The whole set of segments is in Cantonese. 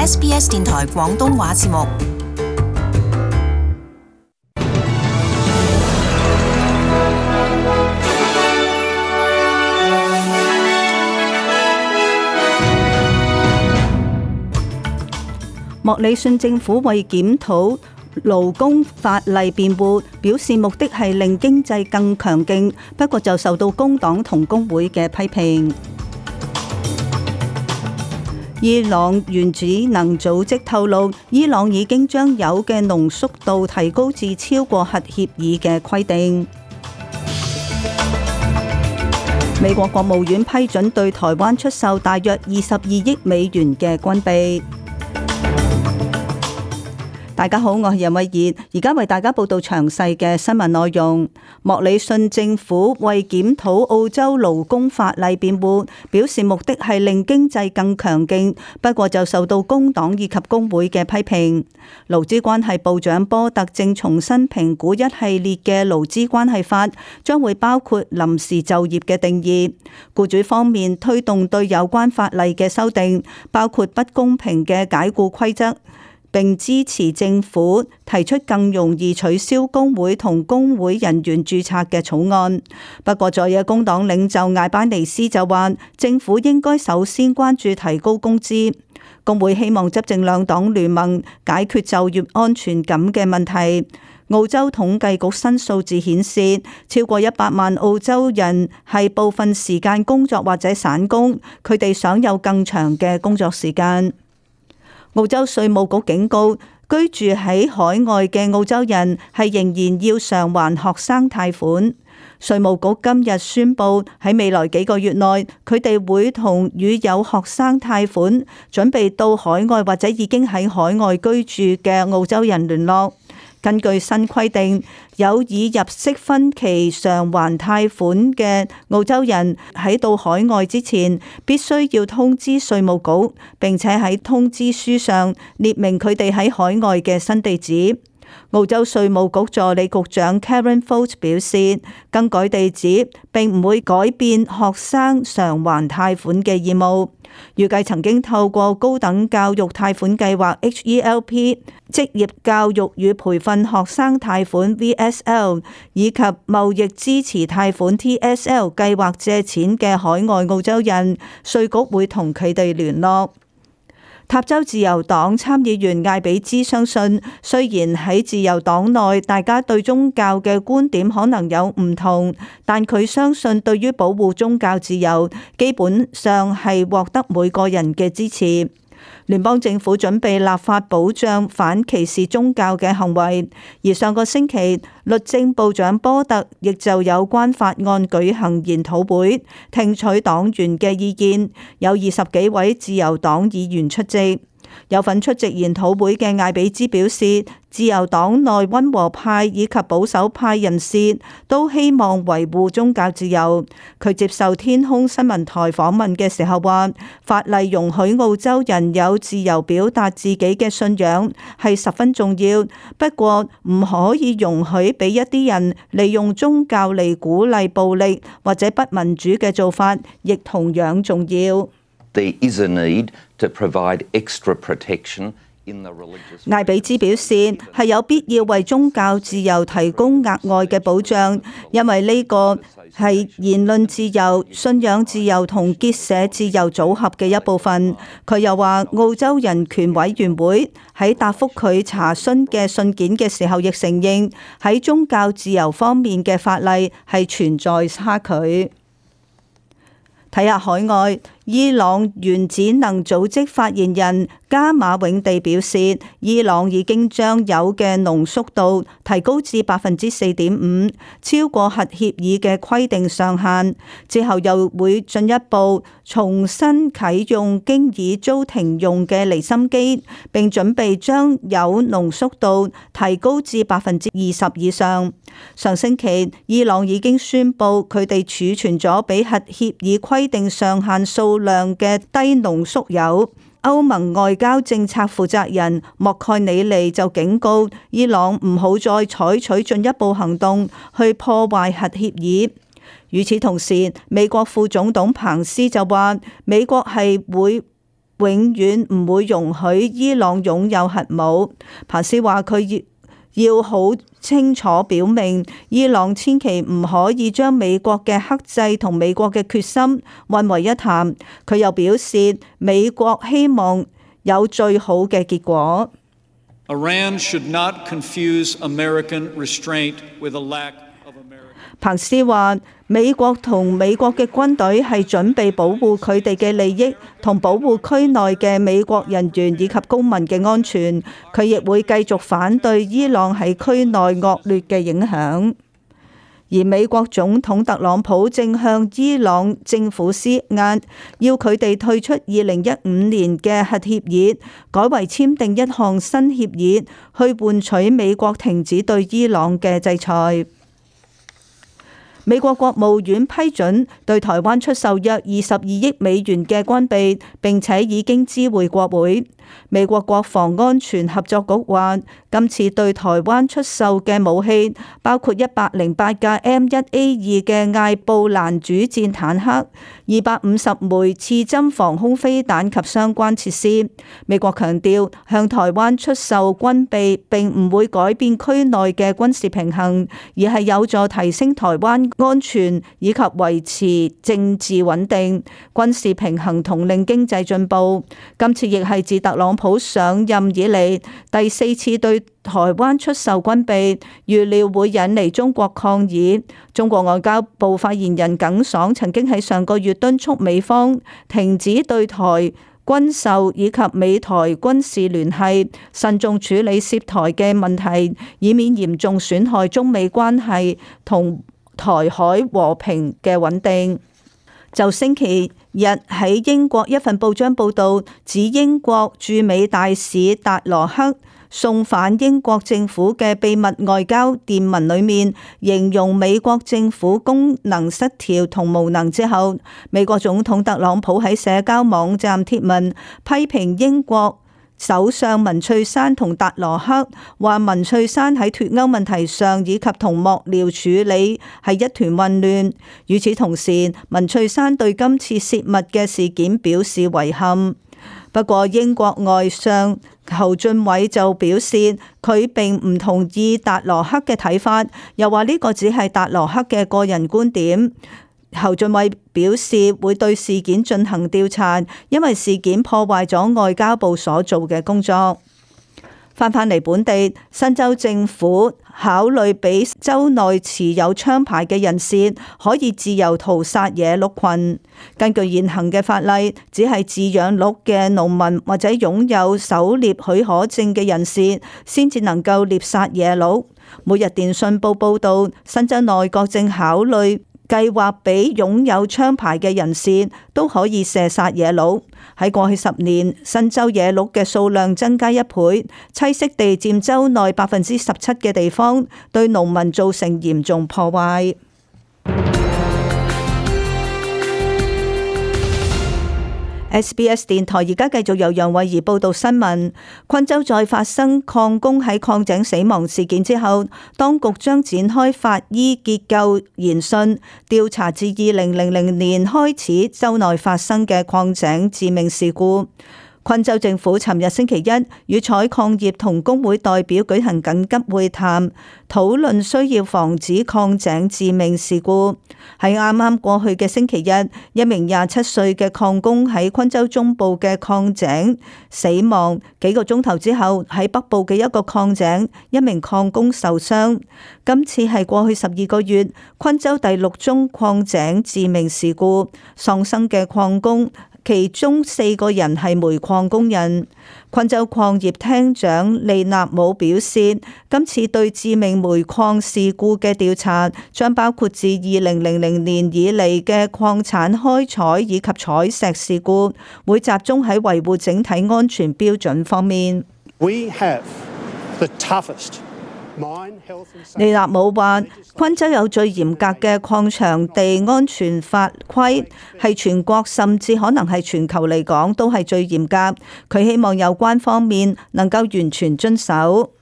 SBS 電台廣東話節目。莫里遜政府為檢討勞工法例辯護，表示目的係令經濟更強勁，不過就受到工黨同工會嘅批評。伊朗原子能組織透露，伊朗已經將鈾嘅濃縮度提高至超過核協議嘅規定。美國國務院批准對台灣出售大約22億美元嘅軍備。大家好，我係任慧儀，而家為大家報道詳細嘅新聞內容。莫里遜政府為檢討澳洲勞工法例辯護，表示目的係令經濟更強勁，不過就受到工黨以及工會嘅批評。勞資關係部長波特正重新評估一系列嘅勞資關係法，將會包括臨時就業嘅定義。僱主方面推動對有關法例嘅修訂，包括不公平嘅解僱規則，並支持政府提出更容易取消工會同工會人員註冊嘅草案。不過在野工黨領袖艾班尼斯就話，政府應該首先關注提高工資。工會希望執政兩黨聯盟解決就業安全感嘅問題。澳洲統計局新數字顯示，超過100萬澳洲人係部分時間工作或者散工，佢哋想有更長嘅工作時間。澳洲稅務局警告，居住喺海外嘅澳洲人係仍然要償還學生貸款。稅務局今日宣布，喺未來幾個月內，佢哋會同與有學生貸款準備到海外或者已經喺海外居住嘅澳洲人聯絡。根據新規定，有已入息分期償還貸款嘅澳洲人喺到海外之前，必須要通知稅務局，並且喺通知書上列明佢哋喺海外嘅新地址。澳洲稅務局助理局長 Karen Folt 表示，更改地址並唔會改變學生償還貸款嘅義務。預計曾經透過高等教育貸款計劃 HELP、職業教育與培訓學生貸款 VSL 以及貿易支持貸款 TSL 計劃借錢嘅海外澳洲人，稅局會同佢哋聯絡。塔州自由黨參議員艾比茲相信，雖然喺自由黨內大家對宗教嘅觀點可能有唔同，但佢相信對於保護宗教自由，基本上係獲得每個人嘅支持。聯邦政府準備立法保障反歧視宗教嘅行為，而上個星期律政部長波特亦就有關法案舉行研討會，聽取黨員嘅意見，有20幾位自由黨議員出席。有份出席研討會嘅艾比茲表示，自由黨內溫和派以及保守派人士都希望維護宗教自由。佢接受天空新聞台訪問嘅時候話，法例容許澳洲人有自由表達自己嘅信仰係十分重要，不過唔可以容許俾一啲人利用宗教嚟鼓勵暴力或者不民主嘅做法，亦同樣重要。There is a need to provide extra protection in the religious. 艾比茲表示係有必要為宗教自由提供額外嘅保障，因為呢個係言論自由、信仰自由同結社自由組合嘅一部分。佢又話，澳洲人權委員會喺答覆佢查詢嘅信件嘅時候，亦承認喺宗教自由方面嘅法例係存在差距。睇下海外，伊朗原子能組織發言人加馬永地表示，伊朗已經將鈾嘅濃縮度提高至4.5%，超過核協議嘅規定上限。之後又會進一步重新啟用經已遭停用嘅離心機，並準備將鈾濃縮度提高至20%以上。上星期，伊朗已經宣布佢哋儲存咗比核協議規定上限數量嘅低濃縮鈾。歐盟外交政策負責人莫蓋里尼就警告伊朗唔好再採取進一步行動去破壞核協議。與此同時，美國副總統彭斯就話，美國係會永遠唔會容許伊朗擁有核武。彭斯話佢要好清楚表明，伊朗千祈唔可以將美國嘅克制同美國嘅決心混為一談。佢又表示，美國希望有最好嘅結果。Iran should not confuse American restraint with a lack of American. 彭斯話，美國同美國嘅軍隊係準備保護佢哋嘅利益同保護區內嘅美國人員以及公民嘅安全。佢亦會繼續反對伊朗喺區內惡劣嘅影響。而美國總統特朗普正向伊朗政府施壓，要佢哋退出2015年嘅核協議，改為簽訂一項新協議，去換取美國停止對伊朗嘅制裁。美國國務院批准對台灣出售約22億美元嘅軍備，並且已經知會國會。美國國防安全合作局話，今次對台灣出售嘅武器包括108架 M1A2 嘅艾布蘭主戰坦克、250枚刺針防空飛彈及相關設施。美國強調，向台灣出售軍備並唔會改變區內嘅軍事平衡，而係有助提升台灣安全以及維持政治穩定、軍事平衡同令經濟進步。今次亦係自特朗普上任以嚟第4次對台灣出售軍備，預料會引嚟中國抗議。中國外交部發言人耿爽曾經喺上個月敦促美方停止對台軍售以及美台軍事聯繫，慎重處理涉台嘅問題，以免嚴重損害中美關係同台海和平嘅穩定。就星期日喺英國一份報章報導，指英國駐美大使達羅克送返英國政府嘅秘密外交電文裏面，形容美國政府功能失調同無能之後，美國總統特朗普喺社交網站貼文批評英國首相文翠珊同達羅克，話文翠珊喺脫歐問題上以及同幕僚處理係一團混亂。與此同時，文翠珊對今次泄密嘅事件表示遺憾。不過英國外相侯俊偉就表示，佢並唔同意達羅克嘅睇法，又話呢個只係達羅克嘅個人觀點。侯俊偉表示會對事件進行調查，因為事件破壞咗外交部所做嘅工作。返嚟本地，新州政府考慮俾州內持有槍牌嘅人士可以自由屠殺野鹿群。根據現行嘅法例，只係飼養鹿嘅農民或者擁有狩獵許可證嘅人士先至能夠獵殺野鹿。每日電訊報報道，新州內閣正考慮計劃俾擁有槍牌嘅人士都可以射殺野鹿。喺過去10年，新州野鹿嘅數量增加1倍，棲息地佔州內17%嘅地方，對農民造成嚴重破壞。SBS 電台而家繼續由楊慧儀報道新聞。昆州再發生礦工喺礦井死亡事件之後，當局將展開法醫結構研訊，調查自2000年開始州內發生嘅礦井致命事故。昆州政府尋日星期一與採礦業同工會代表舉行緊急會談，討論需要防止礦井致命事故。喺啱啱過去嘅星期日，一名27歲嘅礦工喺昆州中部嘅礦井死亡，幾個鐘頭之後喺北部嘅一個礦井，一名礦工受傷。今次係過去12個月昆州第6宗礦井致命事故，喪生嘅礦工其中4個人係煤礦工人。昆州礦業廳長利納姆表示，今次對致命煤礦事故嘅調查將包括自2000年以嚟嘅礦產開採以及採石事故，會集中喺維護整體安全標準方面。We have the toughest利納姆話，昆州有最嚴格嘅礦場地安全法規，係全國甚至可能係全球嚟講都係最嚴格。佢希望有關方面能夠完全遵守。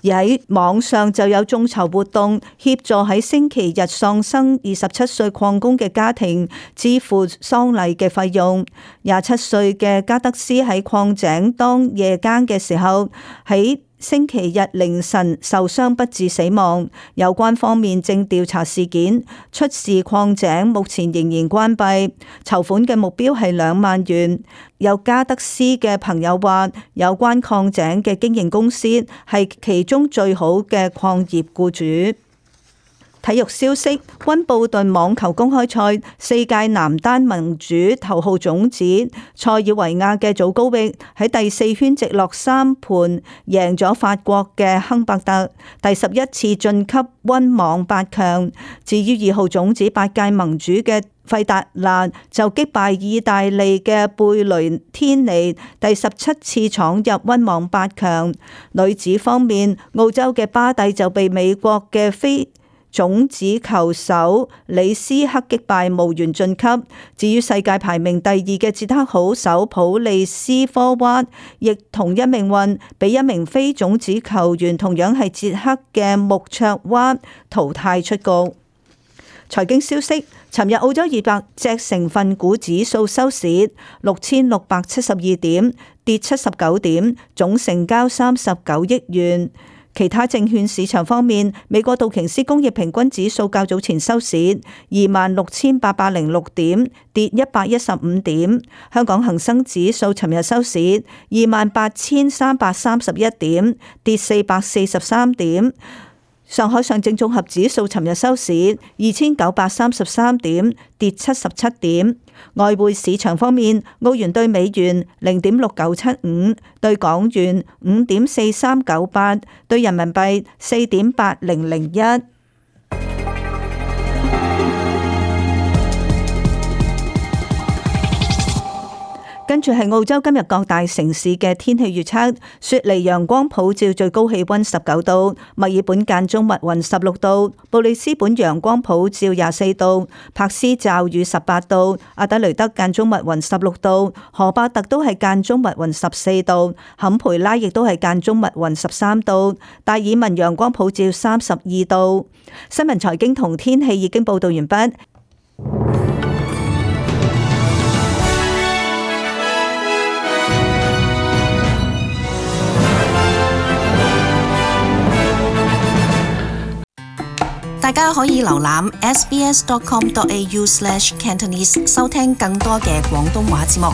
而喺網上就有眾籌活動，協助喺星期日喪生27歲礦工嘅家庭支付喪禮嘅費用。27歲嘅加德斯喺礦井當夜更嘅時候，喺星期日凌晨受傷不治死亡。有關方面正調查事件。出事礦井目前仍然關閉，籌款嘅目標係2萬元。有加德斯嘅朋友話，有關礦井嘅經營公司係其中最好嘅礦業僱主。體育消息：溫布頓網球公開賽世界男單盟主頭號種子塞爾維亞嘅祖高域喺第4圈直落3盤贏咗法國嘅亨伯特，第11次晉級溫網8強。至於2號種子8屆盟主嘅費達拿就擊敗意大利嘅貝雷天尼，第17次闖入溫網8強。女子方面，澳洲嘅巴蒂就被美國嘅非種子球手李斯克擊敗，無緣晉級。至於世界排名第2嘅捷克好手普利斯科娃，亦同一命運，俾一名非種子球員同樣係捷克嘅穆卓娃淘汰出局。財經消息：尋日澳洲200隻成分股指數收市6672點，跌79點，總成交39億元。其他證券市場方面，美國道瓊斯工業平均指數較早前收市26,806點，跌115點。香港恒生指數尋日收市28,331點，跌443點。上海上證綜合指數尋日收市2,933點，跌77點。外匯市場方面，澳元兌美元0.6975，兌港元5.4398，兌人民幣4.8001。跟住係澳洲今日各大城市嘅天氣預測：雪梨陽光普照，最高氣溫19度；墨爾本間中密雲16度；布里斯本陽光普照24度；柏斯驟雨18度；阿德雷德間中密雲16度；荷伯特都係間中密雲14度；坎培拉亦都係間中密雲13度；達爾文陽光普照32度。新聞財經同天氣已經報道完畢。大家可以瀏覽 sbs.com.au/cantonese 收聽更多嘅廣東話節目。